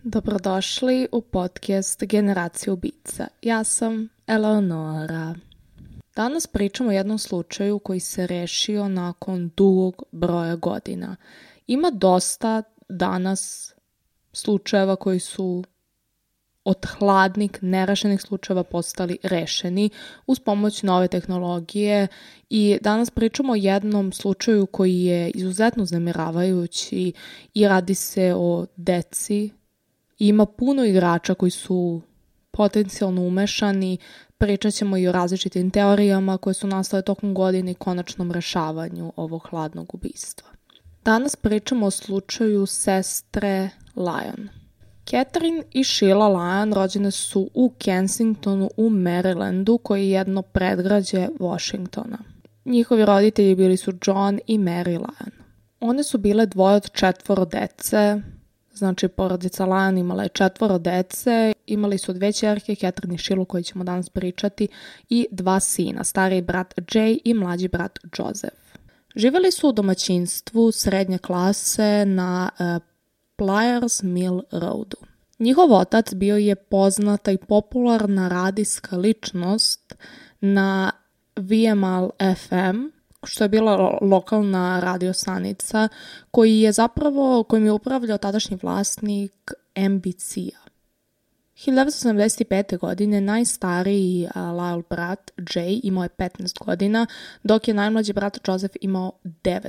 Dobrodošli u podcast Generacija ubica. Ja sam Eleonora. Danas pričamo o jednom slučaju koji se rešio nakon dugog broja godina. Ima dosta danas slučajeva koji su od hladnih, nerešenih slučajeva postali rešeni uz pomoć nove tehnologije i danas pričamo o jednom slučaju koji je izuzetno uznemiravajući i radi se o deci. Ima puno igrača koji su potencijalno umešani, pričat ćemo i o različitim teorijama koje su nastale tokom godine i konačnom rešavanju ovog hladnog ubistva. Danas pričamo o slučaju sestre Lyon. Catherine i Sheila Lyon rođene su u Kensingtonu u Marylandu, koji je jedno predgrađe Washingtona. Njihovi roditelji bili su John i Mary Lyon. One su bile dvoje od 4 dece. Znači, porodica Lyon imala je 4 dece, imali su 2 ćerke, Catherine i Sheilu, koji ćemo danas pričati, i 2 sina, stariji brat Jay i mlađi brat Joseph. Živjeli su u domaćinstvu srednje klase na Pliers Mill Roadu. Njihov otac bio je poznata i popularna radijska ličnost na VML FM, što je bila lokalna radiostanica kojim je upravljao tadašnji vlasnik NBC-a. 1975. godine najstariji Lyle brat Jay imao je 15 godina, dok je najmlađi brat Joseph imao 9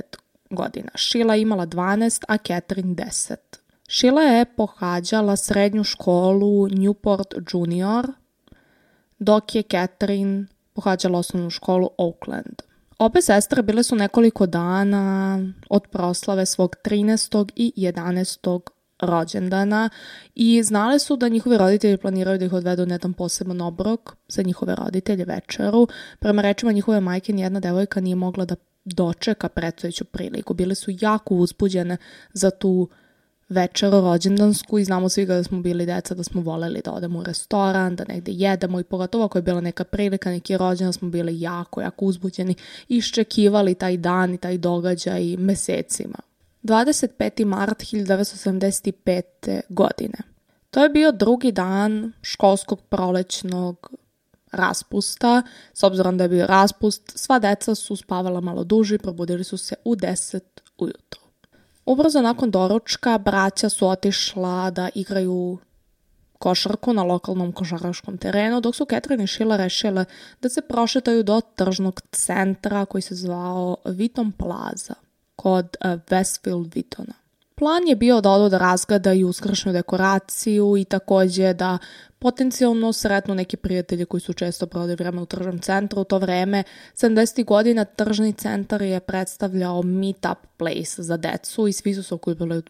godina. Sheila je imala 12, a Catherine 10. Sheila je pohađala srednju školu Newport Junior, dok je Catherine pohađala osnovnu školu Oakland. Obe sestre bile su nekoliko dana od proslave svog 13. i 11. rođendana i znale su da njihovi roditelji planiraju da ih odvedu na jedan poseban obrok za njihove roditelje, večeru. Prema rečima njihove majke, nijedna devojka nije mogla da dočeka predstojeću priliku. Bile su jako uzbuđene za tu večeru rođendansku i znamo svi da smo bili deca da smo voleli da odemo u restoran, da negde jedemo i pogotovo ako je bila neka prilika, neki rođendan, smo bili jako uzbuđeni i iščekivali taj dan i taj događaj mesecima. 25. mart 1975. godine. To je bio drugi dan školskog prolećnog raspusta. S obzirom da je bio raspust, sva deca su spavala malo duže i probudili su se u 10 ujutro. Ubrzo nakon doručka braća su otišla da igraju košarku na lokalnom košarkaškom terenu, dok su Catherine i Sheila rešile da se prošetaju do tržnog centra koji se zvao Wheaton Plaza kod Westfield Wheatona. Plan je bio da odu da razgledaju uskršnju dekoraciju i takođe da potencijalno sretnu neki prijatelji koji su često proveli vreme u tržnom centru. U to vreme, 70. godina, tržni centar je predstavljao meet-up place za decu i svi su se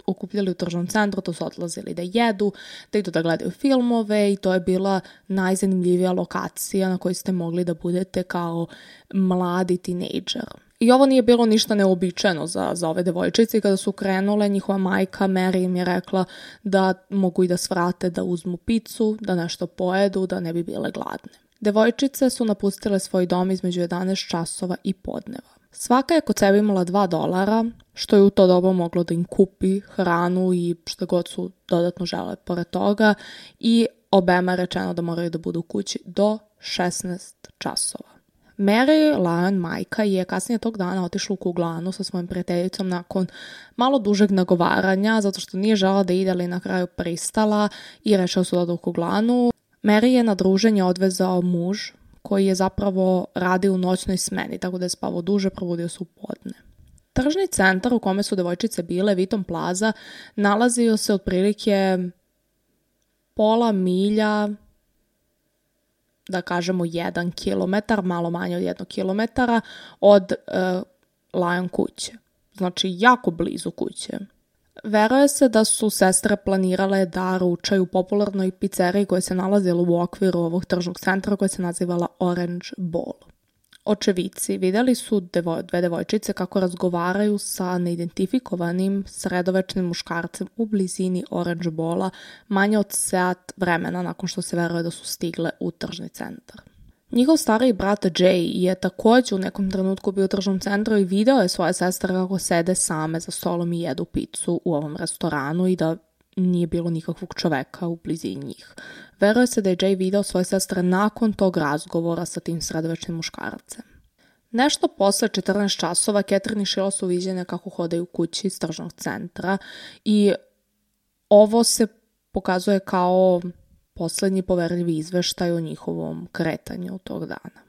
okupljali u tržnom centru, to su odlazili da jedu, da idu da gledaju filmove i to je bila najzanimljivija lokacija na kojoj ste mogli da budete kao mladi tinejdžer. I ovo nije bilo ništa neobičajeno za ove devojčice i kada su krenule, njihova majka Mary im je rekla da mogu i da svrate, da uzmu picu, da nešto pojedu, da ne bi bile gladne. Devojčice su napustile svoj dom između 11 časova i podneva. Svaka je kod sebe imala $2, što je u to doba moglo da im kupi hranu i što god su dodatno žele pored toga i obema je rečeno da moraju da budu u kući do 16 časova. Mary Lyon, majka, je kasnije tog dana otišla u kuglanu sa svojim prijateljicom nakon malo dužeg nagovaranja, zato što nije žela da ide, ali na kraju pristala i rešila su da odu u kuglanu. Mary je na druženje odvezao muž koji je zapravo radio u noćnoj smeni, tako da je spavao duže, probudio se u podne. Tržni centar u kome su devojčice bile, Wheaton Plaza, nalazio se otprilike pola milja, da kažemo 1 kilometar, malo manje od 1 kilometara od Lyon kuće. Znači, jako blizu kuće. Veruje se da su sestre planirale da ručaju u popularnoj pizzeriji koja se nalazila u okviru ovog tržnog centra koja se nazivala Orange Bowl. Očevici videli su 2 devojčice kako razgovaraju sa neidentifikovanim sredovečnim muškarcem u blizini Orange Bowla manje od sat vremena nakon što se veruje da su stigle u tržni centar. Njihov stariji brat Jay je također u nekom trenutku bio u tržnom centru i video je svoje sestre kako sede same za stolom i jedu picu u ovom restoranu i da nije bilo nikakvog čoveka u blizini njih. Veruje se da je Jay video svoje sestre nakon tog razgovora sa tim sredovečnim muškarcem. Nešto posle 14 časova Catherine i Sheila su viđene kako hodaju kući iz tržnog centra i ovo se pokazuje kao poslednji poverljivi izveštaj o njihovom kretanju tog dana.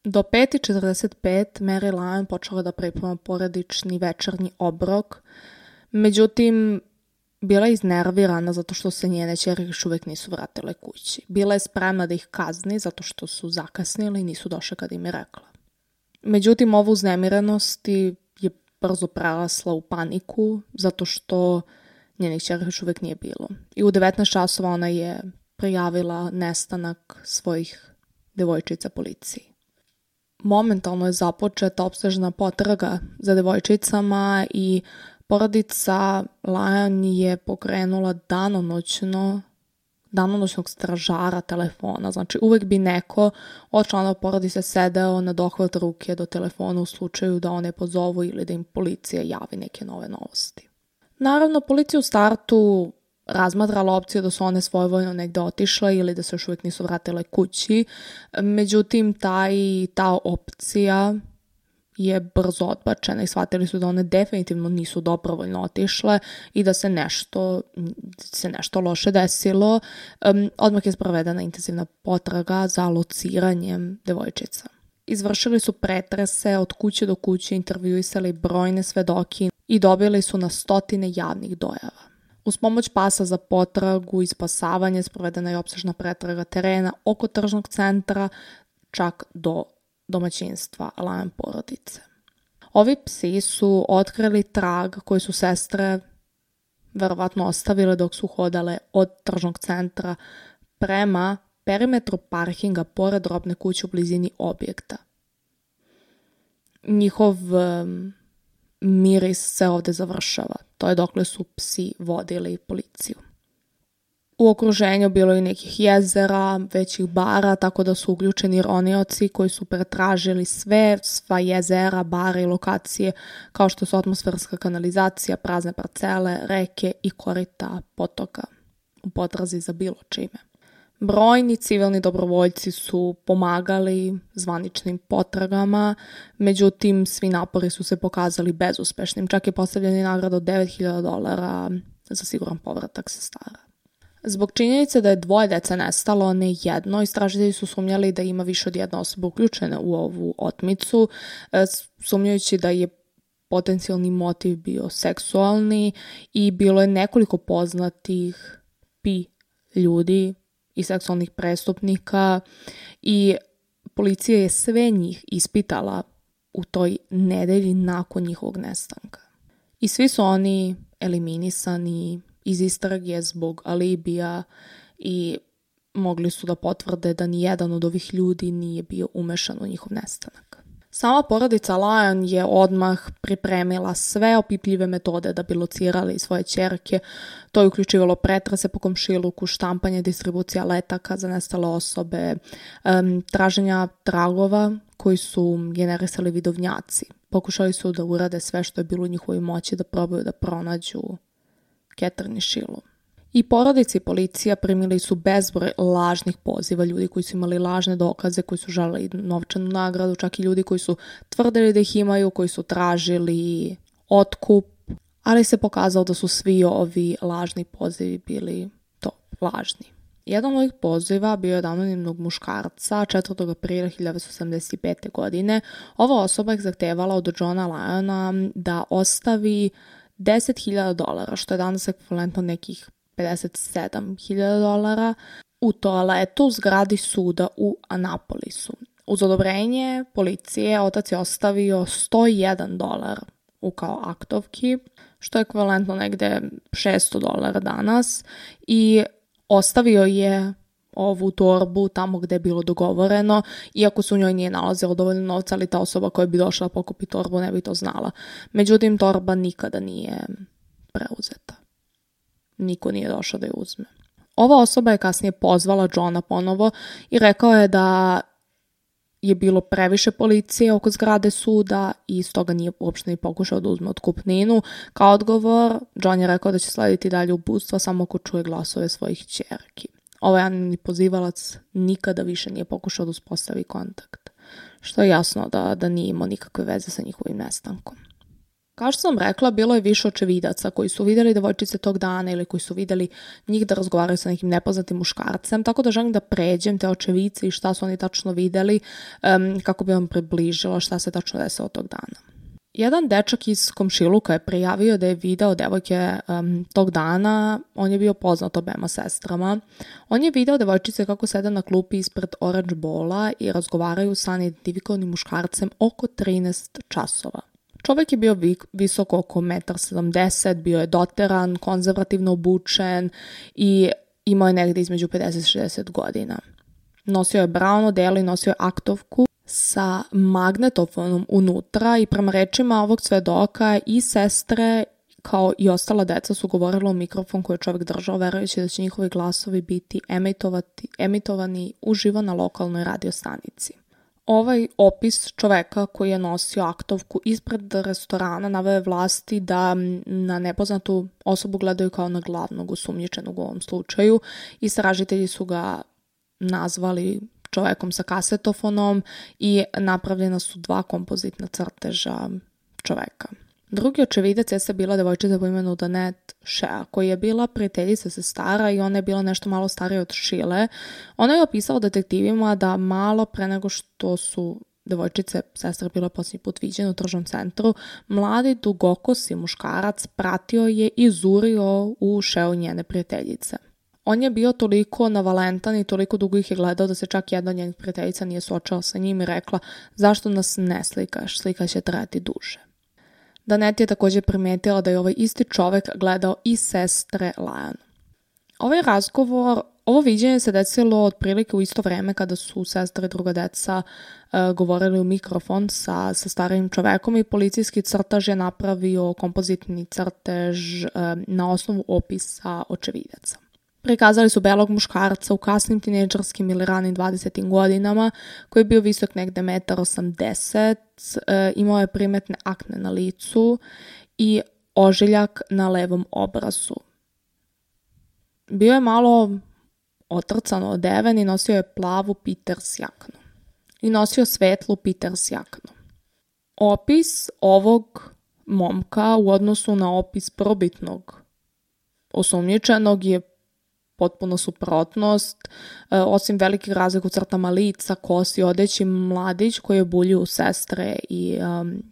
Do 5:45 Mary Lyon počela da priprema porodični večernji obrok, međutim, bila je iznervirana zato što se njene ćerke još uvek nisu vratile kući. Bila je spremna da ih kazni zato što su zakasnili i nisu došle kad im je rekla. Međutim, ovu uznemirenost je brzo prerasla u paniku zato što njenih ćerke još uvek nije bilo. I u 19 časova ona je prijavila nestanak svojih devojčica policiji. Momentalno je započeta opsežna potraga za devojčicama i porodica Lyon je pokrenula danonoćnog stražara telefona. Znači, uvek bi neko od članova porodice sedeo na dohvat ruke do telefona u slučaju da one pozovu ili da im policija javi neke nove novosti. Naravno, policija u startu razmatrala opciju da su one svojevoljno negde otišle ili da se još uvijek nisu vratile kući. Međutim, ta opcija je brzo odbačena i shvatili su da one definitivno nisu dobrovoljno otišle i da se nešto loše desilo. Odmah je sprovedena intenzivna potraga za lociranjem devojčica. Izvršili su pretrese od kuće do kuće, intervjuisali brojne svedoki i dobili su na stotine javnih dojava. Uz pomoć pasa za potragu i spasavanje sprovedena je opsežna pretraga terena oko tržnog centra, čak do domaćinstva Lyon porodice. Ovi psi su otkrili trag koji su sestre verovatno ostavile dok su hodale od tržnog centra prema perimetru parkinga pored robne kuće u blizini objekta. Njihov miris se ovde završava. To je dokle su psi vodili policiju. U okruženju bilo je nekih jezera, većih bara, tako da su uključeni ronioci koji su pretražili sva jezera, bare i lokacije, kao što su atmosferska kanalizacija, prazne parcele, reke i korita potoka u potrazi za bilo čime. Brojni civilni dobrovoljci su pomagali zvaničnim potragama, međutim svi napori su se pokazali bezuspešnim. Čak je postavljena i nagrada od $9.000 za siguran povratak sestara. Zbog činjenice da je 2 dece nestalo, ne jedno, istražitelji su sumnjali da ima više od jedne osobe uključene u ovu otmicu, sumnjajući da je potencijalni motiv bio seksualni i bilo je nekoliko poznatih ljudi i seksualnih prestupnika i policija je sve njih ispitala u toj nedelji nakon njihovog nestanka. I svi su oni eliminisani iz istrage zbog alibija i mogli su da potvrde da nijedan od ovih ljudi nije bio umešan u njihov nestanak. Sama porodica Lyon je odmah pripremila sve opipljive metode da bi locirali svoje ćerke. To je uključivalo pretrese po komšiluku, štampanje, distribucija letaka za nestale osobe, traženja tragova koji su generisali vidovnjaci. Pokušali su da urade sve što je bilo u njihovoj moći da probaju da pronađu Catherine i Sheilu. I porodici i policija primili su bezbroj lažnih poziva, ljudi koji su imali lažne dokaze, koji su želeli novčanu nagradu, čak i ljudi koji su tvrdili da ih imaju, koji su tražili otkup, ali se pokazalo da su svi ovi lažni pozivi bili lažni. Jedan od ovih poziva bio je od anonimnog muškarca 4. aprila 1975. godine. Ova osoba je zahtevala od Johna Lyona da ostavi $10.000, što je danas ekvivalentno nekih $57.000 u toaletu u zgradi suda u Anapolisu. Uz odobrenje policije otac je ostavio $101 u kao aktovki, što je ekvivalentno negde $600 danas i ostavio je ovu torbu tamo gde je bilo dogovoreno, iako se u njoj nije nalazilo dovoljno novca, ali ta osoba koja bi došla pokupi torbu ne bi to znala. Međutim, torba nikada nije preuzeta. Niko nije došao da je uzme. Ova osoba je kasnije pozvala Johna ponovo i rekao je da je bilo previše policije oko zgrade suda i stoga nije uopšte ni pokušao da uzme otkupninu. Kao odgovor, John je rekao da će slediti dalje uputstva samo ako čuje glasove svojih ćerki. Ovaj anonimni pozivalac nikada više nije pokušao da uspostavi kontakt, što je jasno da nije imao nikakve veze sa njihovim nestankom. Kao što sam rekla, bilo je više očevidaca koji su vidjeli devojčice tog dana ili koji su vidjeli njih da razgovaraju sa nekim nepoznatim muškarcem, tako da želim da pređem te očevice i šta su oni tačno vidjeli kako bi vam približilo šta se tačno desilo tog dana. Jedan dečak iz komšiluka je prijavio da je video devojke tog dana, on je bio poznat obema sestrama. On je video devojčice kako sede na klupi ispred Orange Bowla i razgovaraju sa neidentifikovanim muškarcem oko 13 časova. Čovjek je bio visok oko 1,70 m, bio je doteran, konzervativno obučen i imao je negdje između 50 i 60 godina. Nosio je brown odelo i nosio je aktovku sa magnetofonom unutra i prema rečima ovog svedoka i sestre kao i ostala deca su govorila u mikrofon koji je čovjek držao verujući da će njihovi glasovi biti emitovani uživo na lokalnoj radiostanici. Ovaj opis čoveka koji je nosio aktovku ispred restorana naveo je vlasti da na nepoznatu osobu gledaju kao na glavnog osumnjičenog u ovom slučaju. Istražitelji su ga nazvali čovekom sa kasetofonom i napravljena su 2 kompozitna crteža čoveka. Drugi očevidac jeste bila devojčica po imenu Danette Shea, koja je bila prijateljica sestara i ona je bila nešto malo starija od Sheile. Ona je opisala detektivima da malo pre nego što su devojčice sestre bile posljednji put viđene u tržnom centru, mladi dugokosi muškarac pratio je i zurio u Sheu njene prijateljice. On je bio toliko navalentan i toliko dugo ih je gledao da se čak jedna od njenih prijateljica nije suočala sa njim i rekla zašto nas ne slikaš, slika će trajati duže. Danette je također primijetila da je ovaj isti čovjek gledao i sestre Lyanne. Ovo viđenje se desilo otprilike u isto vrijeme kada su sestre i druga deca govorili u mikrofon sa starijim čovekom i policijski crtaž je napravio kompozitni crtež na osnovu opisa očevidaca. Prikazali su belog muškarca u kasnim tinejdžerskim ili ranim 20. godinama koji je bio visok negde 1,80 m, imao je primetne akne na licu i ožiljak na levom obrazu. Bio je malo otrcano odeven i nosio je plavu Peters jaknu. I nosio svetlu Peters jaknu. Opis ovog momka u odnosu na opis probitnog osumnjičenog je potpuno suprotnost, osim velikih razlika u crtama lica, kosi, odeći, mladić koji je buljio u sestre i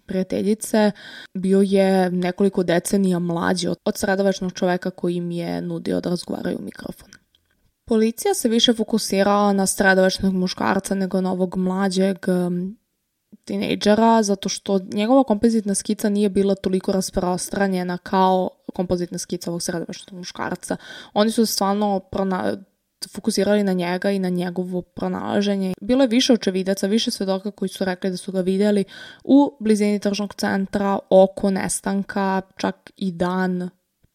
prijateljice, bio je nekoliko decenija mlađi od sredovečnog čoveka koji im je nudio da razgovaraju u mikrofon. Policija se više fokusirala na sredovečnog muškarca nego na ovog mlađeg tinejdžera, zato što njegova kompozitna skica nije bila toliko rasprostranjena kao kompozitna skica ovog sredovečnog muškarca. Oni su stvarno fokusirali na njega i na njegovo pronalaženje. Bilo je više očevidaca, više svedoka koji su rekli da su ga vidjeli u blizini tržnog centra, oko nestanka, čak i dan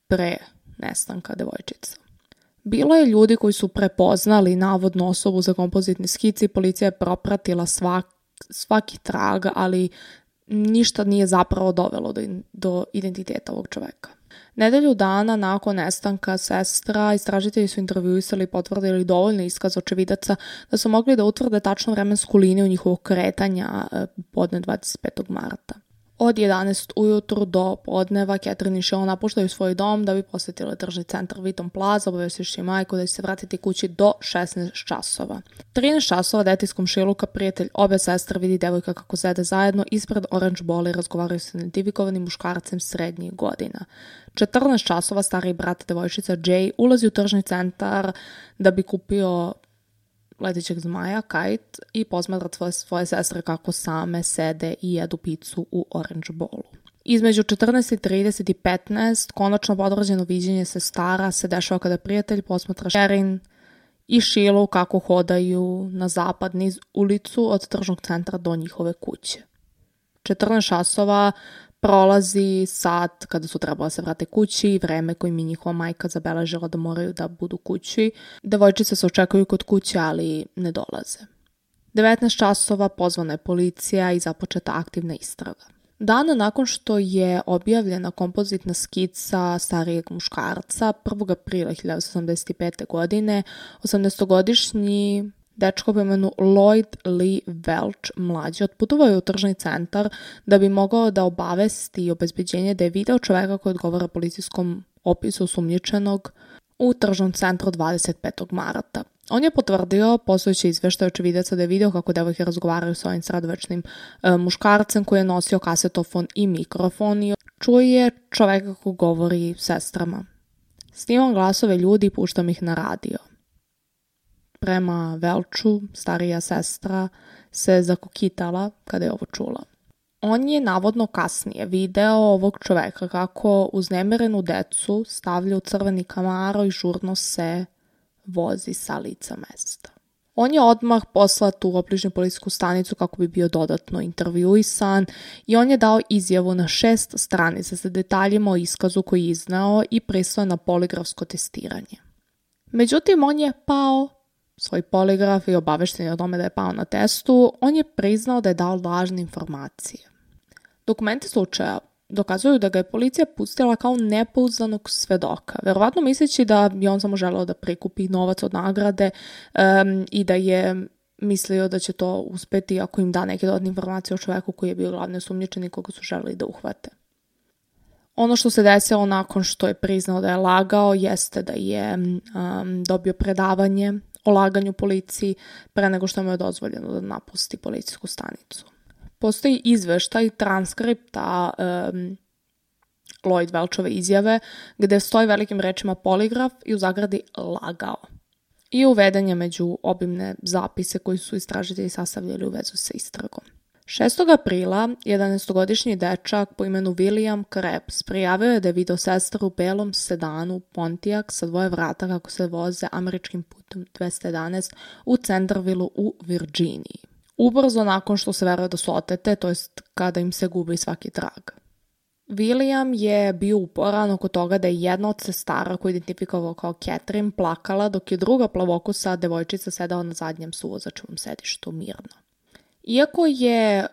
pre nestanka devojčica. Bilo je ljudi koji su prepoznali navodnu osobu za kompozitni skici i policija je propratila svaki trag, ali ništa nije zapravo dovelo do identiteta ovog čoveka. Nedelju dana nakon nestanka sestra, istražitelji su intervjuisali i potvrdili dovoljno iskaz očevidaca da su mogli da utvrde tačnu vremensku liniju njihovog kretanja podne 25. marta. Od 11 ujutru do podneva Catherine i Sheila napuštaju svoj dom da bi posjetili tržni centar Wheaton Plaza, obavestivši majku da će se vratiti kući do 16 časova. 13 časova dete iz komšiluka, prijatelj obe sestre, vidi devojka kako sede zajedno ispred Orange Bowla i razgovaraju sa identifikovanim muškarcem srednjih godina. 14 časova stariji brat devojčica Jay ulazi u tržni centar da bi kupio letećeg zmaja, kite, i posmatra svoje sestre kako same sede i jedu picu u Orange Bowlu. Između 14:30 i 15 konačno potvrđeno viđenje sestara se dešava kada prijatelj posmatra Sherin i Sheilu kako hodaju na zapad niz ulicu od tržnog centra do njihove kuće. 14 časova prolazi sat kada su trebala se vrate kući i vreme kojim je njihova majka zabeležila da moraju da budu kući. Devojčice se očekuju kod kuće, ali ne dolaze. 19 časova pozvana je policija i započeta aktivna istraga. Dana nakon što je objavljena kompozitna skica starijeg muškarca, 1. aprila 1985. godine, 18-godišnji dečko po imenu Lloyd Lee Welch mlađi otputovao je u tržni centar da bi mogao da obavesti obezbeđenje da je video čoveka koji odgovara policijskom opisu osumnjičenog u tržnom centru 25. marta. On je potvrdio, postojeći izveštaj očevidaca, da je video kako devojke razgovaraju sa ovim sredovečnim muškarcem koji je nosio kasetofon i mikrofon i čuje čoveka koji govori sestrama. Snimam glasove ljudi i puštam ih na radio. Prema Velču, starija sestra se zakokitala kada je ovo čula. On je navodno kasnije video ovog čoveka kako uznemirenu decu stavlja u crveni Camaro i žurno se vozi sa lica mesta. On je odmah poslat u obližnju policijsku stanicu kako bi bio dodatno intervjuisan i on je dao izjavu na 6 stranica sa detaljima o iskazu koji je iznao i pristao na poligrafsko testiranje. Međutim, on je pao svoj poligraf i obavešten je o tome da je pao na testu, on je priznao da je dao lažne informacije. Dokumenti slučaja dokazuju da ga je policija pustila kao nepouzdanog svedoka, verovatno misleći da je on samo želeo da prikupi novac od nagrade i da je mislio da će to uspeti ako im da neke dodatne informacije o čoveku koji je bio glavni osumnjičenik koga su želeli da uhvate. Ono što se desilo nakon što je priznao da je lagao jeste da je dobio predavanje o laganju policiji pre nego što mu je dozvoljeno da napusti policijsku stanicu. Postoji izveštaj transkripta Lloyd Welchove izjave gde stoji velikim rečima poligraf i u zagradi lagao. I uveden je među obimne zapise koji su istražitelji sastavljali u vezu sa istragom. 6. aprila 11-godišnji dečak po imenu William Krebs prijavio je da je video sestru u belom sedanu Pontiac sa 2 vrata kako se voze američkim putem 211 u Centerville u Virginiji. Ubrzo nakon što se veruje da su otete, to jest kada im se gubi svaki trag. William je bio uporan oko toga da je jedna od sestara koju je identifikovao kao Catherine plakala dok je druga plavokosa devojčica sedala na zadnjem suvozačevom sedištu mirno. Iako je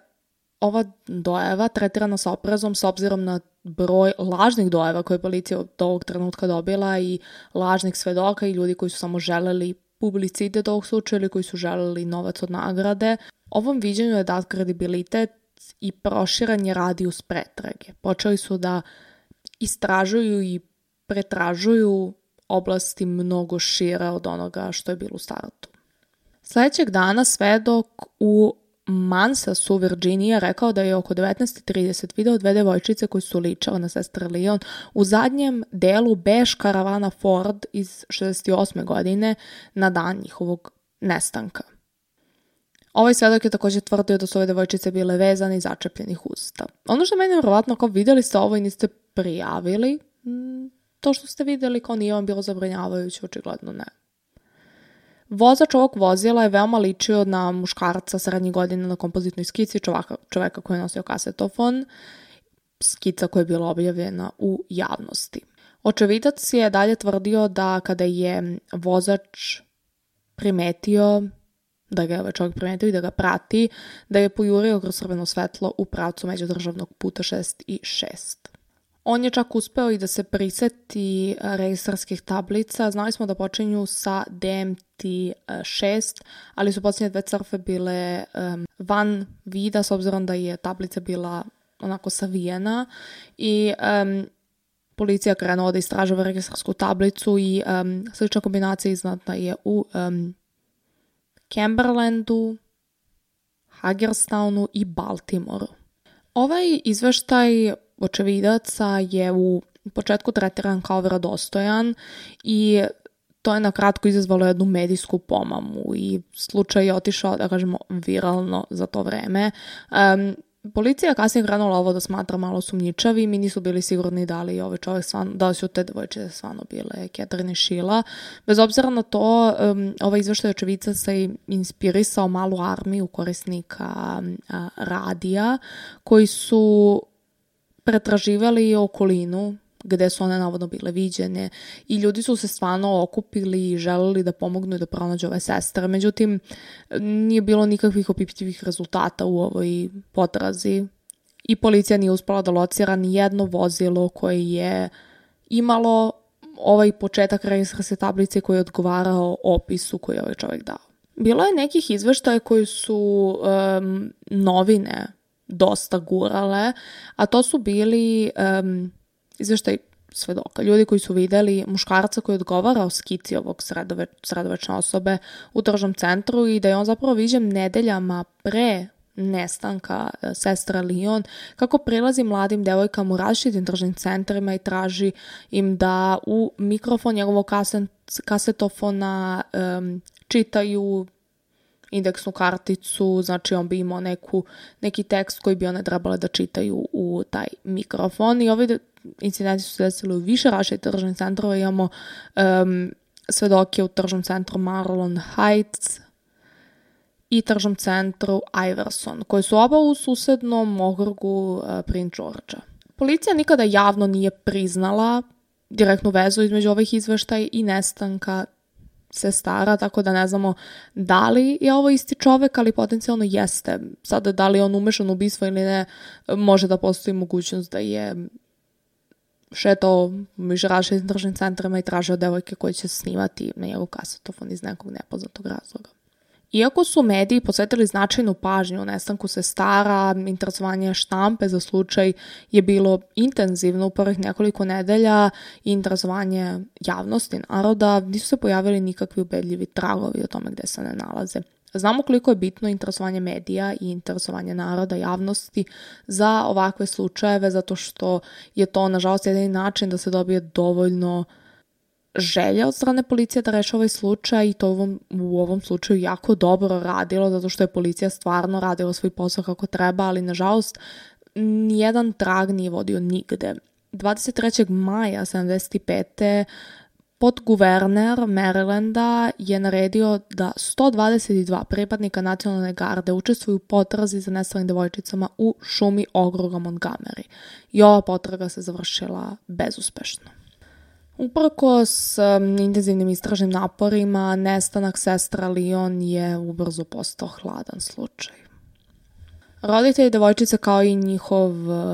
ova dojava tretirana sa oprezom s obzirom na broj lažnih dojava koje je policija od ovog trenutka dobila i lažnih svedoka i ljudi koji su samo želeli publicitet ovog slučaja ili koji su želeli novac od nagrade, ovom viđenju je dat kredibilitet i proširan je radijus pretrage. Počeli su da istražuju i pretražuju oblasti mnogo šire od onoga što je bilo u startu. Sljedećeg dana svedok u Mansasu, Virginija, rekao da je oko 19:30 video 2 devojčice koje su ličale na sestre Leon u zadnjem delu bež karavana Ford iz 68. godine na dan njihovog nestanka. Ovaj svedok je također tvrdio da su ove devojčice bile vezane i začepljenih usta. Ono što meni je vjerovatno kao vidjeli ste ovo i niste prijavili, to što ste vidjeli kao nije vam bilo zabrinjavajuće, očigledno ne. Vozač ovog vozila je veoma ličio na muškarca srednjih godina na kompozitnoj skici čoveka koji je nosio kasetofon, skica koja je bila objavljena u javnosti. Očevidac je dalje tvrdio da kada je vozač primetio, da ga je ovaj čovjek primetio i da ga prati, da je pojurio kroz crveno svetlo u pravcu međudržavnog puta 6 i 6. On je čak uspeo i da se priseti registarskih tablica. Znali smo da počinju sa DMT-6, ali su posljednje 2 crfe bile van vida s obzirom da je tablica bila onako savijena i policija krenula da istražava registarsku tablicu i slična kombinacija iznata je u Cumberlandu, Hagerstownu i Baltimoru. Ovaj izveštaj očevidaca je u početku tretiran kao vjerodostojan i to je na kratko izazvalo jednu medijsku pomamu i slučaj je otišao, da kažemo, viralno za to vreme. Policija je kasnije krenula ovo da smatra malo sumnjičavim i nisu bili sigurni da li ovaj čovjek da li su te devojčice stvarno bile Catherine i Sheila. Bez obzira na to, ovaj izveštaj očevidaca se inspirisao malu armiju korisnika radija koji su pretraživali okolinu gde su one navodno bile viđene i ljudi su se stvarno okupili i želeli da pomognu i da pronađu ove sestre. Međutim, nije bilo nikakvih opipljivih rezultata u ovoj potrazi i policija nije uspela da locira ni jedno vozilo koje je imalo ovaj početak registarske tablice koji je odgovarao opisu koji je ovaj čovjek dao. Bilo je nekih izveštaja koji su novine dosta gurale, a to su bili izveštaj svedoka. Ljudi koji su videli muškarca koji je odgovarao skici ovog sredovečne osobe u tržnom centru i da je on zapravo viđen nedeljama pre nestanka sestra Leon, kako prilazi mladim devojkama u različitim tržnim centrima i traži im da u mikrofon njegovog kasetofona čitaju indeksnu karticu, znači on bi imao neki tekst koji bi one trebale da čitaju u taj mikrofon i ovi incidenti su se desili u više različitih tržnih centrova. Imamo svedoke u tržnom centru Marlon Heights i tržnom centru Iverson, koji su oba u susednom okrugu Prince Georgea. Policija nikada javno nije priznala direktnu vezu između ovih izveštaja i nestanka sestara, tako da ne znamo da li je ovo isti čovek, ali potencijalno jeste. Sada da li je on umešan u ubistvo ili ne, može da postoji mogućnost da je šetao među različitim tržnim centrima i tražio devojke koje će snimati na njegov kasetofon iz nekog nepoznatog razloga. Iako su mediji posvetili značajnu pažnju u nestanku sestara, interesovanje štampe za slučaj je bilo intenzivno u prvih nekoliko nedelja i interesovanje javnosti naroda, nisu se pojavili nikakvi ubedljivi tragovi o tome gde se ne nalaze. Znamo koliko je bitno interesovanje medija i interesovanje naroda, javnosti za ovakve slučajeve, zato što je to, nažalost, jedini način da se dobije dovoljno želja od strane policije da reši ovaj slučaj i to u ovom slučaju jako dobro radilo, zato što je policija stvarno radila svoj posao kako treba, ali nažalost nijedan trag nije vodio nigde. 23. maja 1975. podguverner Marylanda je naredio da 122 pripadnika nacionalne garde učestvuju u potrazi za nestalim devojčicama u šumi okruga Montgomery. I ova potraga se završila bezuspešno. Uprkos intenzivnim istražnim naporima, nestanak sestra Leon je ubrzo postao hladan slučaj. Roditelji devojčice kao i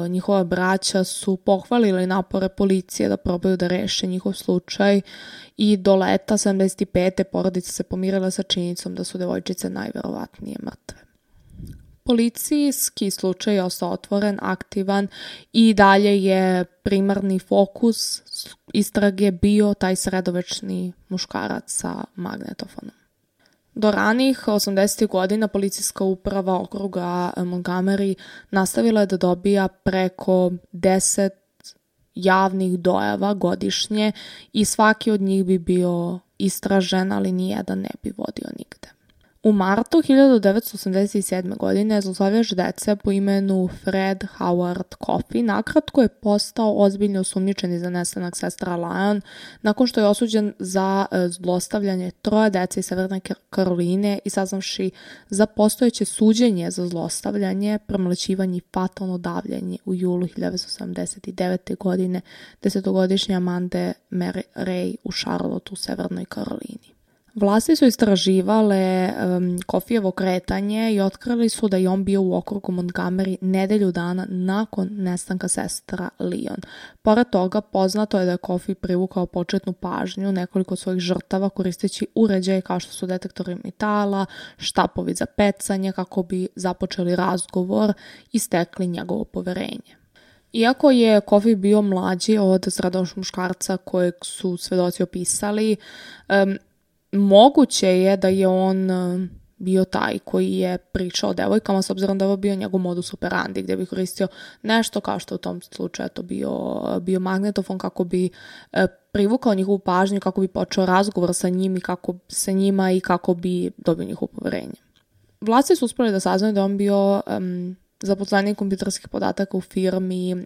njihova braća su pohvalili napore policije da probaju da reše njihov slučaj i do leta 75. porodica se pomirila sa činjenicom da su devojčice najverovatnije mrtve. Policijski slučaj je ostao otvoren, aktivan i dalje je primarni fokus istrage bio taj sredovečni muškarac sa magnetofonom. Do ranih 80. godina policijska uprava okruga Montgomery nastavila je da dobija preko 10 javnih dojava godišnje i svaki od njih bi bio istražen, ali nijedan ne bi vodio nigde. U martu 1987. godine zlostavljač dece po imenu Fred Howard Coffey nakratko je postao ozbiljno osumnjičeni za nestanak sestra Leon nakon što je osuđen za zlostavljanje 3 dece iz Severne Karoline i saznavši za postojeće suđenje za zlostavljanje, premlaćivanje i fatalno davljanje u julu 1979. godine 10-godišnje Amande Mary Ray u Charlotteu u Severnoj Karolini. Vlasti su istraživale Coffeyevo kretanje i otkrili su da je on bio u okrugu Montgomery nedelju dana nakon nestanka sestra Leon. Pored toga, poznato je da je Coffey privukao početnu pažnju nekoliko svojih žrtava koristeći uređaje kao što su detektori metala, štapovi za pecanje kako bi započeli razgovor i stekli njegovo poverenje. Iako je Coffey bio mlađi od sredovečnog muškarca kojeg su svedoci opisali, moguće je da je on bio taj koji je pričao o devojkama, s obzirom da je ovo bio njegov modus operandi, gdje bi koristio nešto kao što u tom slučaju to bio magnetofon kako bi privukao njihovu pažnju, kako bi počeo razgovor sa njima i kako bi dobio njihovo poverenje. Vlasti su uspjeli da saznaju da on bio zaposlenik kompjuterskih podataka u firmi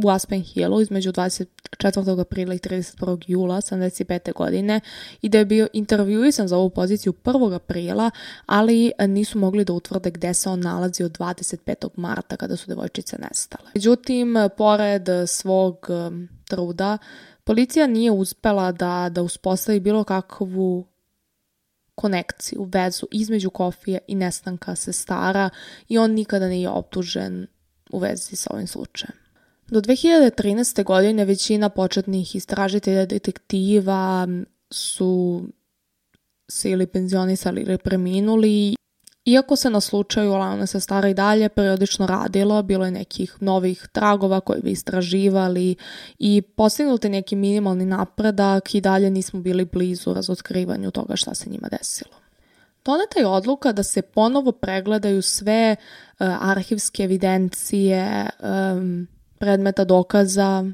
u Aspen Hillu između 24. aprila i 31. jula 1975. godine i da je bio intervjuisan za ovu poziciju 1. aprila, ali nisu mogli da utvrde gde se on nalazi od 25. marta kada su devojčice nestale. Međutim, pored svog truda, policija nije uspela da uspostavi bilo kakvu konekciju, vezu između Kofija i nestanka sestara i on nikada nije optužen u vezi sa ovim slučajem. Do 2013. godine većina početnih istražitelja detektiva su se ili penzionisali ili preminuli. Iako se na slučaju Lionel sestara i dalje periodično radilo, bilo je nekih novih tragova koji bi istraživali i postignuti neki minimalni napredak i dalje nismo bili blizu razotkrivanju toga šta se njima desilo. Doneta je odluka da se ponovo pregledaju sve arhivske evidencije, predmeta dokaza,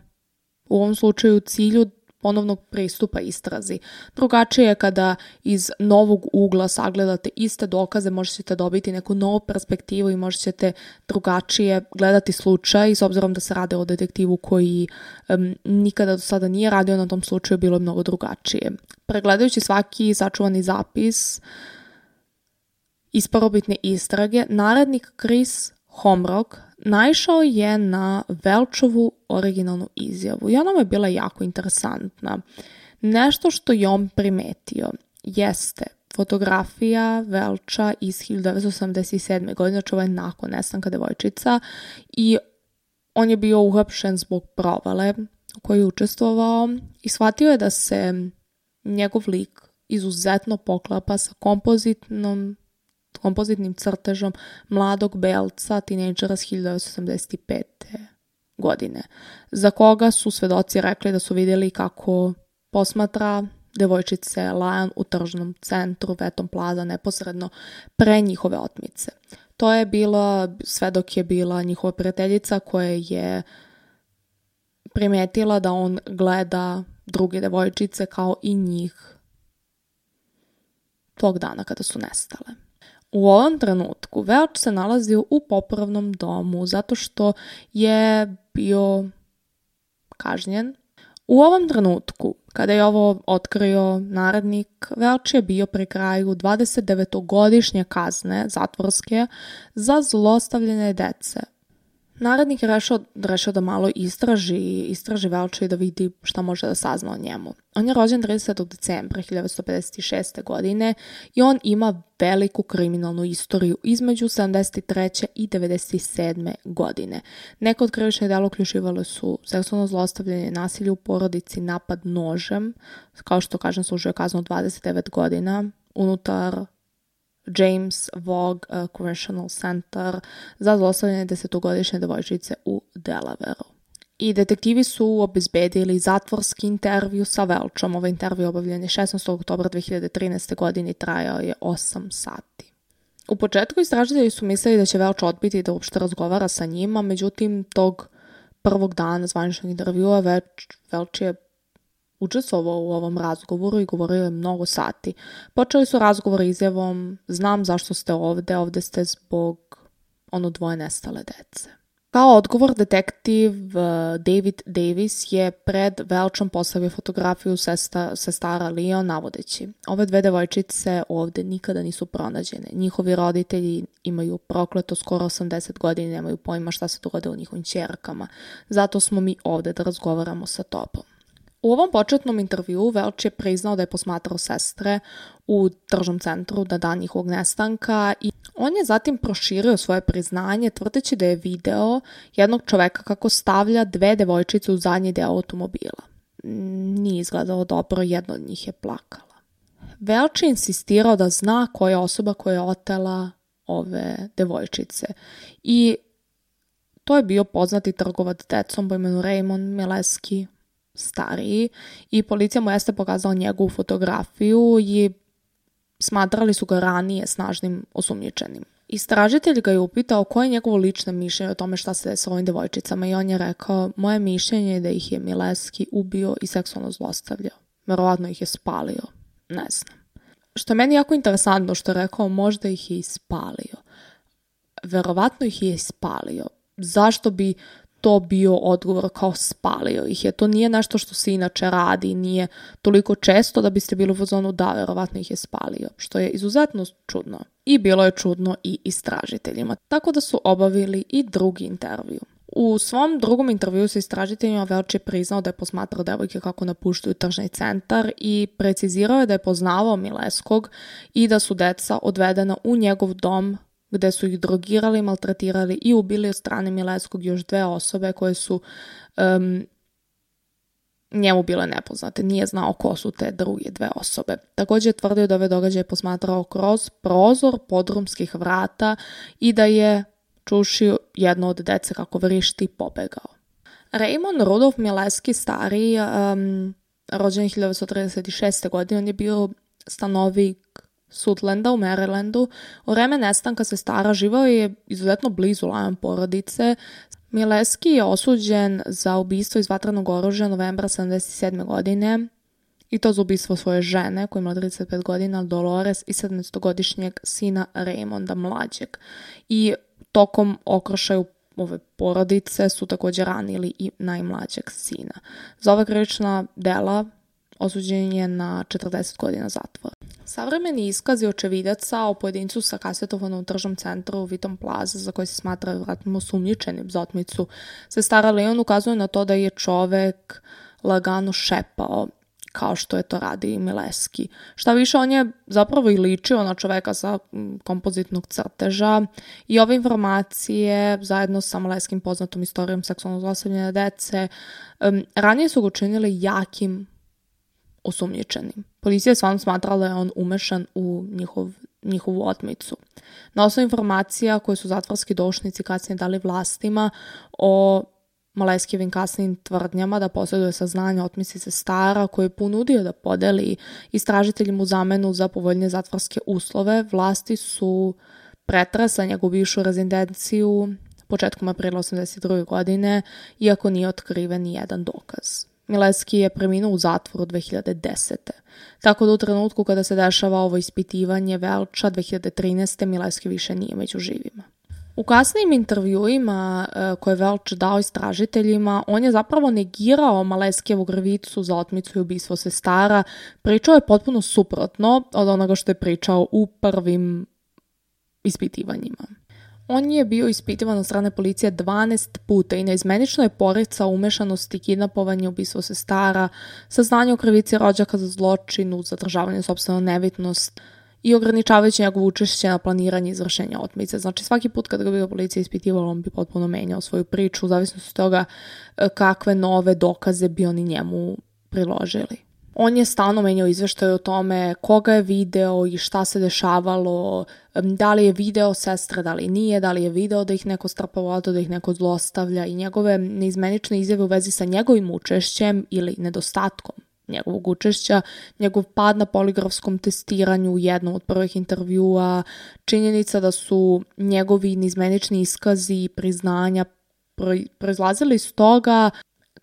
u ovom slučaju u cilju ponovnog pristupa istrazi. Drugačije je kada iz novog ugla sagledate iste dokaze, možete dobiti neku novu perspektivu i možete drugačije gledati slučaj, s obzirom da se radi o detektivu koji nikada do sada nije radio na tom slučaju, bilo je mnogo drugačije. Pregledajući svaki sačuvani zapis iz prvobitne istrage, narednik Chris Homrock naišao je na Welchovu originalnu izjavu i ona mu je bila jako interesantna. Nešto što je on primetio jeste fotografija Welcha iz 1987. godine, znači ovo je nakon nestanka devojčica, i on je bio uhapšen zbog provale u kojoj je učestvovao i shvatio je da se njegov lik izuzetno poklapa sa kompozitnim crtežom mladog belca, tinejdžera s 1985. godine, za koga su svedoci rekli da su vidjeli kako posmatra devojčice Lion u tržnom centru Veton Plaza neposredno pre njihove otmice. To je bila, sve dok je bila njihova prijateljica koja je primetila da on gleda druge devojčice kao i njih tog dana kada su nestale. U ovom trenutku Welch se nalazio u popravnom domu zato što je bio kažnjen. U ovom trenutku, kada je ovo otkrio narednik, Welch je bio pri kraju 29-godišnje kazne zatvorske za zlostavljanje dece. Narednik je rešio da malo istraži Welcha i da vidi šta može da sazna o njemu. On je rođen 30. decembra 1956. godine i on ima veliku kriminalnu istoriju između 73. i 97. godine. Neko od krivičnih dela uključivale su seksualno zlostavljanje, nasilje u porodici, napad nožem, kao što kažem služio kaznu 29 godina unutar James Vogue Correctional Center za zlostavljanje 10-godišnje devojčice u Delawareu. I detektivi su obezbedili zatvorski intervju sa Welchom. Ovaj intervju obavljen je 16. oktobra 2013. godine i trajao je 8 sati. U početku istražitelji su mislili da će Welch odbiti da uopšte razgovara sa njima, međutim tog prvog dana zvaničnog intervjua Welch je učestvovao u ovom razgovoru i govorio je mnogo sati. Počeli su razgovor izjavom: znam zašto ste ovde ste zbog dvoje nestale dece. Kao odgovor, detektiv David Davis je pred Welchom postavio fotografiju sestara Leo navodeći: ove dve devojčice ovde nikada nisu pronađene. Njihovi roditelji imaju prokleto skoro 80 godina i nemaju pojma šta se dogodilo njihovim ćerkama. Zato smo mi ovde da razgovaramo sa tobom. U ovom početnom intervjuu Welch je priznao da je posmatrao sestre u tržnom centru na dan njihovog nestanka i on je zatim proširio svoje priznanje tvrdeći da je video jednog čoveka kako stavlja dve devojčice u zadnji deo automobila. Nije izgledalo dobro, jedna od njih je plakala. Welch je insistirao da zna koja je osoba koja je otela ove devojčice i to je bio poznati trgovac decom po imenu Raymond Mileski stariji i policija mu jeste pokazala njegovu fotografiju i smatrali su ga ranije snažnim osumnjičenim. Istražitelj ga je upitao koje je njegovo lično mišljenje o tome šta se desilo ovim devojčicama i on je rekao: moje mišljenje je da ih je Mileski ubio i seksualno zlostavljao. Verovatno ih je spalio. Ne znam. Što je meni jako interesantno što je rekao možda ih je ispalio. Verovatno ih je ispalio. Zašto bi to bio odgovor kao spalio ih je? To nije nešto što se inače radi, nije toliko često da biste bili u fazonu da, verovatno ih je spalio, što je izuzetno čudno. I bilo je čudno i istražiteljima, tako da su obavili i drugi intervju. U svom drugom intervjuu sa istražiteljima Welch je priznao da je posmatrao devojke kako napuštaju tržni centar i precizirao je da je poznavao Mileskog i da su deca odvedena u njegov dom gde su ih drogirali, maltretirali i ubili od strane Mileskog još 2 osobe koje su njemu bile nepoznate. Nije znao ko su te druge 2 osobe. Također je tvrdio da ove događaje posmatrao kroz prozor podrumskih vrata i da je čušio jedno od dece kako vrišti i pobegao. Raymond Rudolf Mileski stariji, rođen 1936. godine, on je bio stanovnik Suthlanda u Marylandu. U vreme nestanka sestara živao je izuzetno blizu Lyon porodice. Mileski je osuđen za ubistvo iz vatrenog oružja novembra 1977. godine i to za ubistvo svoje žene koja je imala 35 godina, Dolores, i 17-godišnjeg sina Raymonda mlađeg. I tokom okršaju ove porodice su također ranili i najmlađeg sina. Za ova krivična dela osuđen je na 40 godina zatvora. Savremeni iskazi očevidaca o pojedincu sa kasetofonom u tržnom centru Wheaton Plaza, za koji se smatra vjerojatno osumnjičenim za otmicu sestara Leon, ukazuju na to da je čovek lagano šepao, kao što je to radi i Mileski. Šta više, on je zapravo i ličio na čoveka sa kompozitnog crteža i ove informacije, zajedno sa Mileskim poznatom istorijom seksualnog zlostavljanja dece, ranije su ga učinili jakim osumnjičenim. Policija je stvarno smatrala da je on umešan u njihovu otmicu. Na osnovu informacija koje su zatvorski doušnici kasnije dali vlastima o Mileskijevim kasnijim tvrdnjama da posjeduje saznanja o otmici sestara koje je ponudio da podeli istražiteljima u zamenu za povoljnije zatvorske uslove, vlasti su pretresle njegovu bivšu rezidenciju početkom aprila 1982. godine, iako nije otkriven ni jedan dokaz. Mileski je preminuo u zatvoru 2010. Tako da u trenutku kada se dešava ovo ispitivanje Welcha 2013. Mileski više nije među živima. U kasnijim intervjuima koje je Welch dao istražiteljima, on je zapravo negirao Mileskijevu krivicu za otmicu i ubistvo sestara. Pričao je potpuno suprotno od onoga što je pričao u prvim ispitivanjima. On je bio ispitivan od strane policije 12 puta i neizmenično je poricao umešanosti, kidnapovanje, ubistvo sestara, saznanje o krivici rođaka za zločinu, zadržavanje sopstvene nevitnost i ograničavajući njegovo učešće na planiranje izvršenja otmice. Znači svaki put kad ga bi policija ispitivala, on bi potpuno menjao svoju priču u zavisnosti od toga kakve nove dokaze bi oni njemu priložili. On je stalno menjao izveštaje o tome koga je video i šta se dešavalo, da li je video sestre, da li nije, da li je video da ih neko strpa u auto, da ih neko zlostavlja i njegove neizmenične izjave u vezi sa njegovim učešćem ili nedostatkom njegovog učešća, njegov pad na poligrafskom testiranju u jednom od prvih intervjua, činjenica da su njegovi neizmenični iskazi i priznanja proizlazili iz toga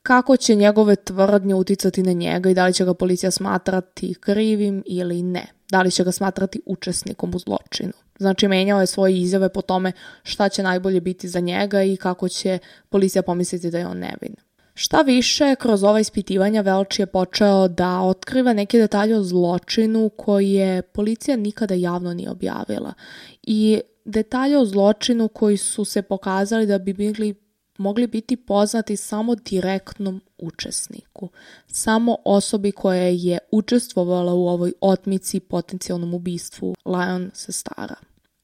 kako će njegove tvrdnje uticati na njega i da li će ga policija smatrati krivim ili ne. Da li će ga smatrati učesnikom u zločinu. Znači, menjao je svoje izjave po tome šta će najbolje biti za njega i kako će policija pomisliti da je on nevin. Šta više, kroz ova ispitivanja Welch je počeo da otkriva neke detalje o zločinu koje policija nikada javno nije objavila. I detalje o zločinu koji su se pokazali da bi mogli biti poznati samo direktnom učesniku, samo osobi koja je učestvovala u ovoj otmici i potencijalnom ubistvu Lyon sestara.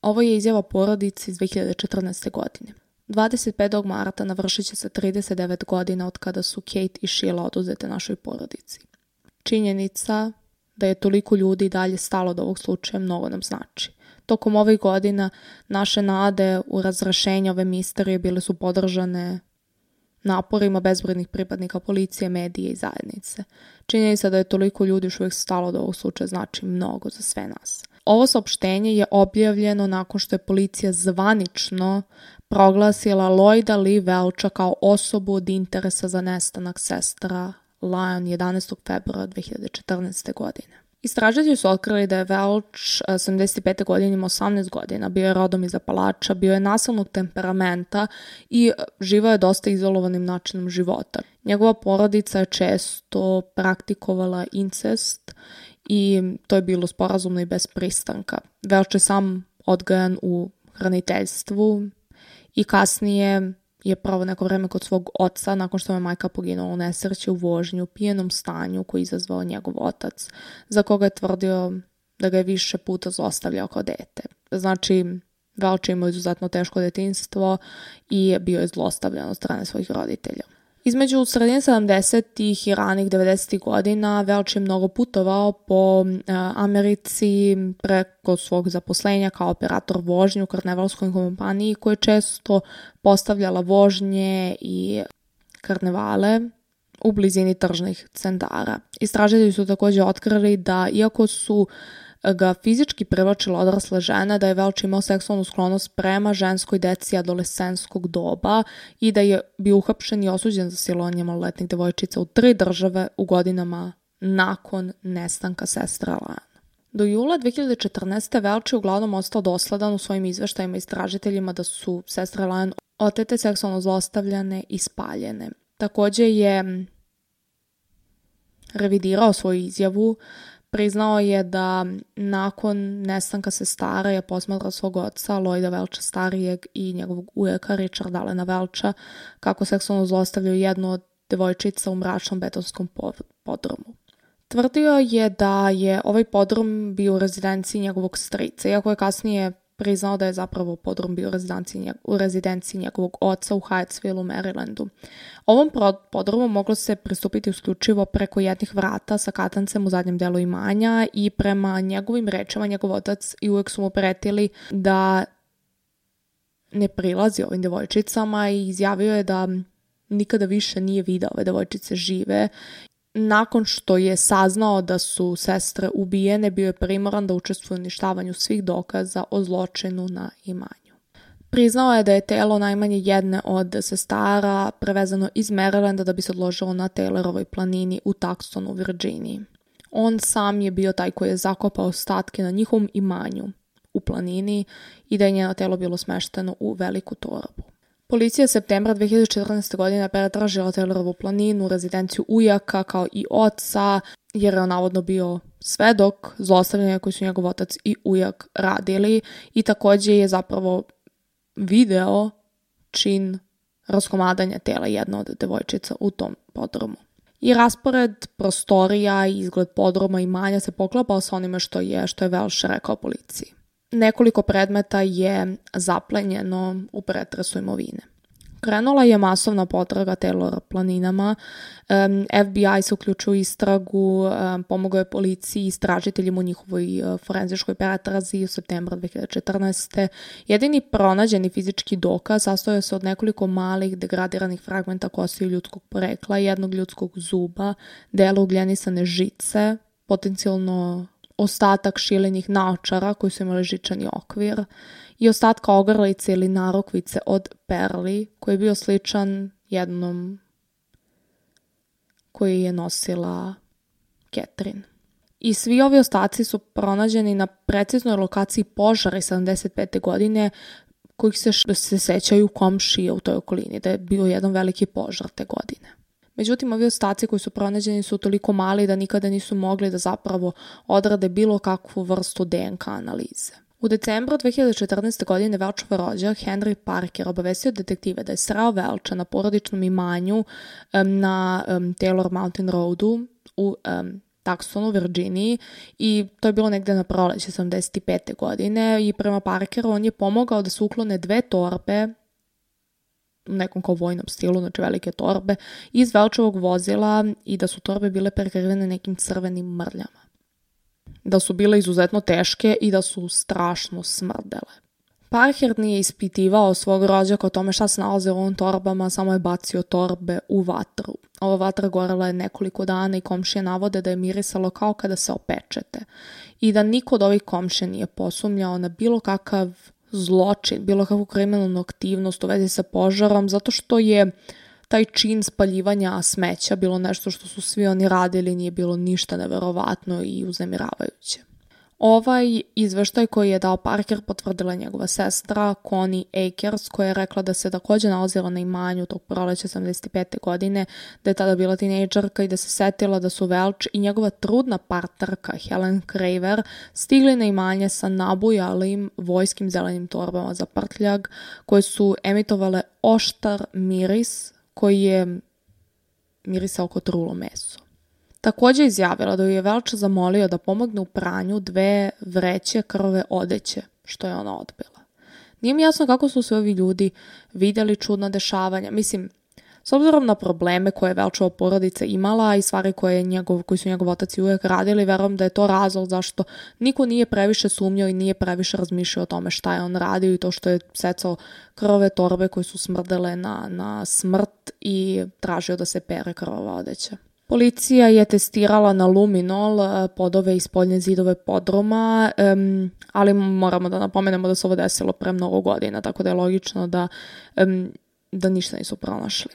Ovo je izjava porodice iz 2014. godine. 25. marta navršit će se 39 godina od kada su Kate i Sheila oduzete našoj porodici. Činjenica da je toliko ljudi dalje stalo do ovog slučaja mnogo nam znači. Tokom ovih godina naše nade u razrešenju ove misterije bile su podržane naporima bezbrojnih pripadnika policije, medije i zajednice. Činjenica da je toliko ljudi još uvijek stalo do ovog slučaja znači mnogo za sve nas. Ovo saopštenje je objavljeno nakon što je policija zvanično proglasila Lloyda Lee Welcha kao osobu od interesa za nestanak sestara Lyon 11. februara 2014. godine. Istražitelji su otkrili da je Welch 75. godine imao 18 godina, bio je rodom iz Apalača, bio je nasilnog temperamenta i živao je dosta izolovanim načinom života. Njegova porodica je često praktikovala incest i to je bilo sporazumno i bez pristanka. Welch je sam odgajan u hraniteljstvu i kasnije je proveo neko vreme kod svog oca nakon što je majka poginula u nesreći u vožnji u pijenom stanju koji je izazvao njegov otac, za koga je tvrdio da ga je više puta zlostavljao kao dete. Znači, Welch je imao izuzetno teško detinjstvo i bio je zlostavljan od strane svojih roditelja. Između sredine 70. i ranih 90. godina Welch je mnogo putovao po Americi preko svog zaposlenja kao operator vožnje u karnevalskoj kompaniji koja je često postavljala vožnje i karnevale u blizini tržnih centara. Istražitelji su također otkrili da iako su ga fizički privlačila odrasle žene, da je Welch imao seksualnu sklonost prema ženskoj deci adolescenskog doba i da je bio uhapšen i osuđen za silovanje maloletnih devojčica u 3 države u godinama nakon nestanka sestre Lane. Do jula 2014. Welch je uglavnom ostao dosledan u svojim izveštajima istražiteljima da su sestre Lane otete, seksualno zlostavljane i spaljene. Također je revidirao svoju izjavu. Priznao je da nakon nestanka sestara je posmatrao svog oca Lloyda Welcha starijeg i njegovog ujaka Richarda Allena Welcha kako seksualno zlostavljaju jednu od devojčica u mračnom betonskom podrumu. Tvrdio je da je ovaj podrum bio u rezidenciji njegovog strica, iako je kasnije priznao da je zapravo podrum bio u rezidenciji njegovog oca u Hyattsville u Marylandu. Ovom podrumu moglo se pristupiti isključivo preko jednih vrata sa katancem u zadnjem delu imanja i prema njegovim rečima njegov otac i uvijek su mu pretili da ne prilazi ovim devojčicama i izjavio je da nikada više nije video ove devojčice žive. Nakon što je saznao da su sestre ubijene, bio je primoran da učestvuje u uništavanju svih dokaza o zločinu na imanju. Priznao je da je telo najmanje jedne od sestara prevezano iz Marylanda da bi se odložilo na Taylorovoj planini u Tucsonu u Virginiji. On sam je bio taj koji je zakopao ostatke na njihovom imanju u planini i da je njeno telo bilo smešteno u veliku torbu. Policija je septembra 2014. godine pretražila Taylorovu planinu, rezidenciju ujaka kao i oca, jer je on navodno bio svedok zlostavljanja koji su njegov otac i ujak radili i također je zapravo video čin raskomadanja tela jedne od devojčica u tom podrumu. I raspored prostorija i izgled podruma i imanja se poklapao sa onime što je Welch rekao policiji. Nekoliko predmeta je zaplenjeno u pretresu imovine. Krenula je masovna potraga Taylor planinama. FBI se uključio u istragu, pomogao je policiji i istražiteljima u njihovoj forenzičkoj pretrazi u septembru 2014. Jedini pronađeni fizički dokaz sastojao se od nekoliko malih degradiranih fragmenta kosti ljudskog porekla, jednog ljudskog zuba, dela ugljenisane žice, potencijalno ostatak šilenih naočara koji su imali žičani okvir i ostatka ogrlice ili narukvice od perli koji je bio sličan jednom koji je nosila Catherine. I svi ovi ostaci su pronađeni na preciznoj lokaciji požara iz 75. godine kojih se sećaju komšije u toj okolini, da je bio jedan veliki požar te godine. Međutim, ovi ostaci koji su pronađeni su toliko mali da nikada nisu mogli da zapravo odrade bilo kakvu vrstu DNK analize. U decembru 2014. godine Welchov rođak Henry Parker obavestio detektive da je sreo Welcha na porodičnom imanju na Taylor Mountain Roadu u Tucsonu, Virginiji i to je bilo negde na proleće 75. godine i prema Parkeru on je pomogao da se uklone 2 torbe u nekom kao vojnom stilu, znači velike torbe, iz Welchovog vozila i da su torbe bile prekrivene nekim crvenim mrljama. Da su bile izuzetno teške i da su strašno smrdele. Parker nije ispitivao svog rođaka o tome šta se nalaze u ovim torbama, samo je bacio torbe u vatru. Ova vatra gorela je nekoliko dana i komšije navode da je mirisalo kao kada se opečete i da niko od ovih komšija nije posumnjao na bilo kakav zločin, bilo kakvu kriminalnu aktivnost u vezi sa požarom, zato što je taj čin spaljivanja smeća bilo nešto što su svi oni radili, nije bilo ništa neverovatno i uznemiravajuće. Ovaj izveštaj koji je dao Parker potvrdila njegova sestra Connie Akers, koja je rekla da se također nalazila na imanju tog proleća 75. godine, da je tada bila tinejdžerka i da se setila da su Welch i njegova trudna partnerka Helen Craver stigli na imanje sa nabujalim vojskim zelenim torbama za prtljag koje su emitovale oštar miris koji je mirisao kao trulo meso. Također izjavila da ju je Welch zamolio da pomogne u pranju 2 vreće krvave odeće, što je ona odbila. Nije mi jasno kako su se ovi ljudi vidjeli čudna dešavanja. Mislim, s obzirom na probleme koje je Welchova porodica imala i stvari koji su njegov otac i uvijek radili, verujem da je to razlog zašto niko nije previše sumnjao i nije previše razmišljao o tome šta je on radio i to što je secao krvave torbe koje su smrdele na smrt i tražio da se pere krvava odeća. Policija je testirala na luminol podove i spoljne zidove podruma, ali moramo da napomenemo da se ovo desilo pre mnogo godina, tako da je logično da ništa nisu pronašli.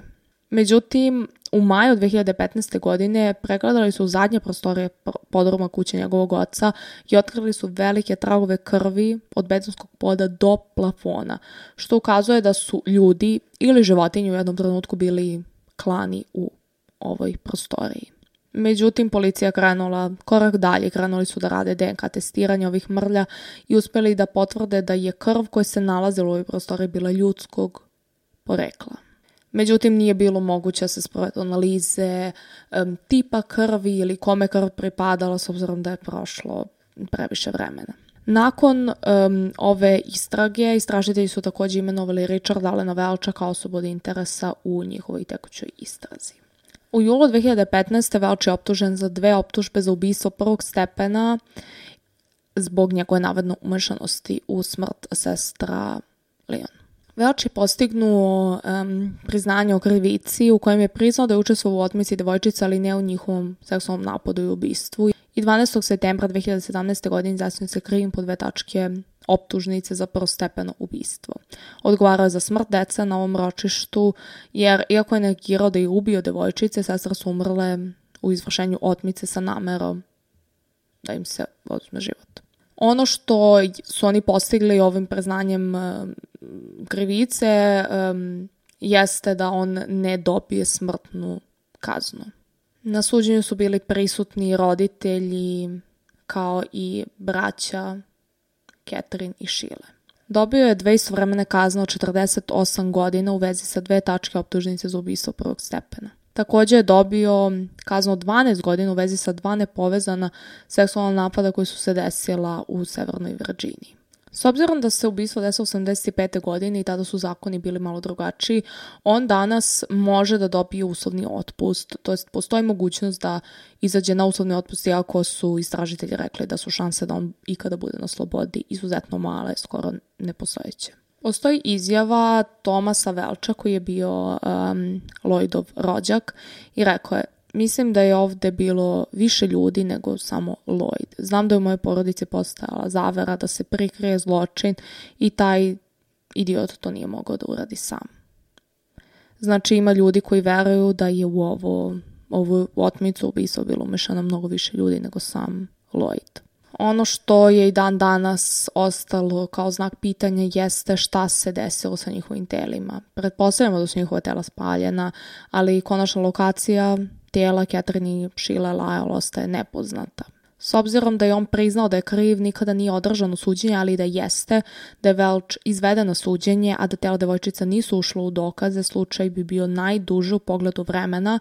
Međutim, u maju 2015. godine pregledali su zadnje prostorije podruma kuće njegovog oca i otkrili su velike tragove krvi od betonskog poda do plafona, što ukazuje da su ljudi ili životinje u jednom trenutku bili klani u ovoj prostoriji. Međutim, policija krenula korak dalje, krenuli su da rade DNK testiranje ovih mrlja i uspjeli da potvrde da je krv koja se nalazila u ovoj prostoriji bila ljudskog porekla. Međutim, nije bilo moguće da se sprovedu analize tipa krvi ili kome krv pripadala s obzirom da je prošlo previše vremena. Nakon ove istrage, istražitelji su također imenovali Richarda Allena Welcha kao osobu od interesa u njihovoj tekućoj istrazi. U julu 2015. Welch je optužen za 2 optužbe za ubistvo prvog stepena zbog njegove navodno umešanosti u smrt sestra Leon. Welch je postignuo priznanje o krivici u kojem je priznao da je učestvovao u otmici devojčica, ali ne u njihovom seksualnom napadu i ubistvu. I 12. septembra 2017. godine izjasnio se krivim po 2 tačke optužnice za prvostepeno ubistvo. Odgovarao je za smrt dece na ovom ročištu, jer iako je negirao da je ubio devojčice, sestre su umrle u izvršenju otmice sa namerom da im se oduzme život. Ono što su oni postigli ovim priznanjem krivice jeste da on ne dobije smrtnu kaznu. Na suđenju su bili prisutni roditelji kao i braća Catherine i Sheila. Dobio je 2 istovremene kazne od 48 godina u vezi sa 2 tačke optužnice za ubistvo prvog stepena. Također je dobio kaznu od 12 godina u vezi sa 2 nepovezana seksualna napada koji su se desila u Severnoj Virginiji. S obzirom da se ubistvo desilo u 85. godine i tada su zakoni bili malo drugačiji, on danas može da dobije uslovni otpust, to jest postoji mogućnost da izađe na uslovni otpust iako su istražitelji rekli da su šanse da on ikada bude na slobodi izuzetno male, skoro nepostojeće. Postoji izjava Thomasa Welcha koji je bio Lloydov rođak i rekao je: mislim da je ovdje bilo više ljudi nego samo Lloyd. Znam da je u mojoj porodici postojala zavera da se prikrije zločin i taj idiot to nije mogao da uradi sam. Znači ima ljudi koji veruju da je u ovu otmicu ubistvo bilo umešano mnogo više ljudi nego sam Lloyd. Ono što je i dan danas ostalo kao znak pitanja jeste šta se desilo sa njihovim telima. Pretpostavljamo da su njihova tela spaljena, ali konačna lokacija tijela Catherine i Sheila Lyle ostaje nepoznata. S obzirom da je on priznao da je kriv, nikada nije održano suđenje, ali da jeste, da je Welch izveden na suđenje, a da tela devojčica nisu ušlo u dokaze, slučaj bi bio najduži u pogledu vremena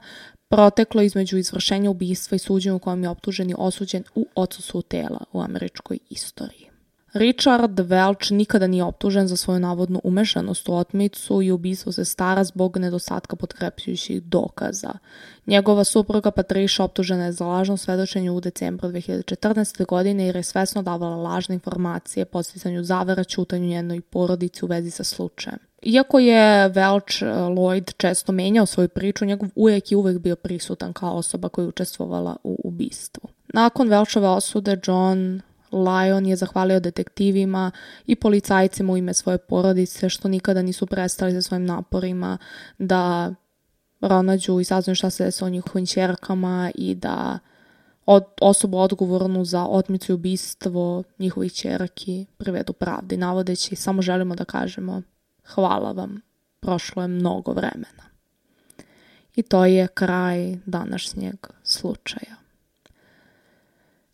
proteklo između izvršenja ubistva i suđenja u kojem je optužen i osuđen u odsustvu tela u američkoj istoriji. Richard Welch nikada nije optužen za svoju navodnu umešanost u otmicu i ubistvo sestara zbog nedostatka potkrepljujućih dokaza. Njegova supruga Patricia optužena je za lažno svedočenje u decembru 2014. godine jer je svesno davala lažne informacije, podsticanju zavera, ćutanju njenoj porodici u vezi sa slučajem. Iako je Welch Lloyd često menjao svoju priču, njegov ujak je uvijek bio prisutan kao osoba koja je učestvovala u ubistvu. Nakon Welchove osude, John Lyon je zahvalio detektivima i policajcima u ime svoje porodice što nikada nisu prestali sa svojim naporima da pronađu i saznaju šta se desilo njihovim ćerkama i da osobu odgovornu za otmicu i ubistvo njihovih ćerki privedu pravdi, navodeći samo želimo da kažemo hvala vam, prošlo je mnogo vremena. I to je kraj današnjeg slučaja.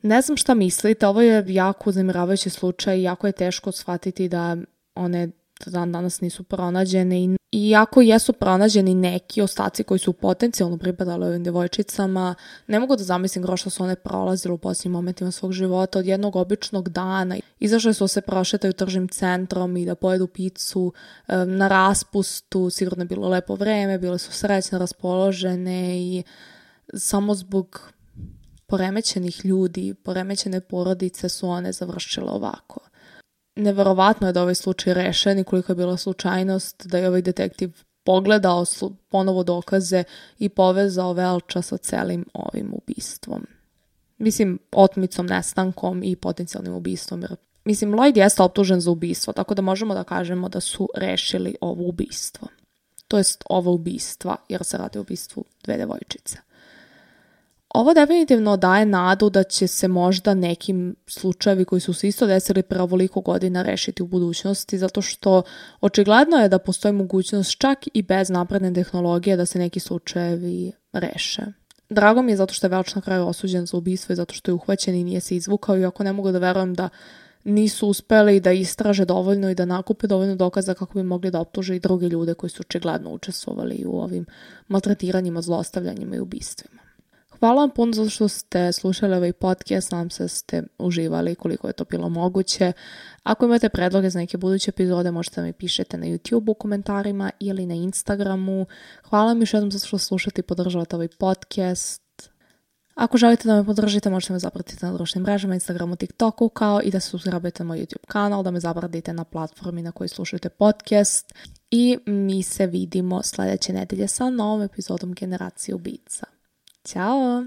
Ne znam šta mislite, ovo je jako uznemiravajući slučaj, jako je teško shvatiti da one danas nisu pronađene i iako jesu pronađeni neki ostaci koji su potencijalno pripadali ovim djevojčicama, ne mogu da zamislim što su one prolazile u posljednjim momentima svog života. Od jednog običnog dana izašle su se prošetaju tržnim centrom i da pojedu picu na raspustu, sigurno je bilo lepo vreme, bile su srećne, raspoložene i samo zbog poremećenih ljudi, poremećene porodice su one završile ovako. Neverovatno je da ovaj slučaj rešen i koliko je bila slučajnost da je ovaj detektiv pogledao ponovo dokaze i povezao Welcha sa celim ovim ubistvom. Mislim, otmicom, nestankom i potencijalnim ubistvom. Mislim, Lloyd jeste optužen za ubistvo, tako da možemo da kažemo da su rešili ovo ubistvo. To jest ovo ubistva, jer se radi o ubistvu 2 devojčice. Ovo definitivno daje nadu da će se možda nekim slučajevi koji su se isto desili pre ovoliko godina rešiti u budućnosti, zato što očigledno je da postoji mogućnost čak i bez napredne tehnologije da se neki slučajevi reše. Drago mi je zato što je Welch na kraju osuđen za ubistvo i zato što je uhvaćen i nije se izvukao, iako ne mogu da verujem da nisu uspeli da istraže dovoljno i da nakupe dovoljno dokaza kako bi mogli da optuže i druge ljude koji su očigledno učestvovali u ovim maltretiranjima, zlostavljanjima i ubistvima. Hvala vam puno zato što ste slušali ovaj podcast, nadam se da ste uživali koliko je to bilo moguće. Ako imate predloge za neke buduće epizode, možete da mi pišete na YouTube u komentarima ili na Instagramu. Hvala vam još jednom zato što slušate i podržavate ovaj podcast. Ako želite da me podržite, možete me zapratiti na društvenim mrežama, Instagramu, TikToku, kao i da se subscribe-te na moj YouTube kanal, da me zapratite na platformi na kojoj slušate podcast. I mi se vidimo sljedeće nedelje sa novom epizodom Generacije ubica. Ćao!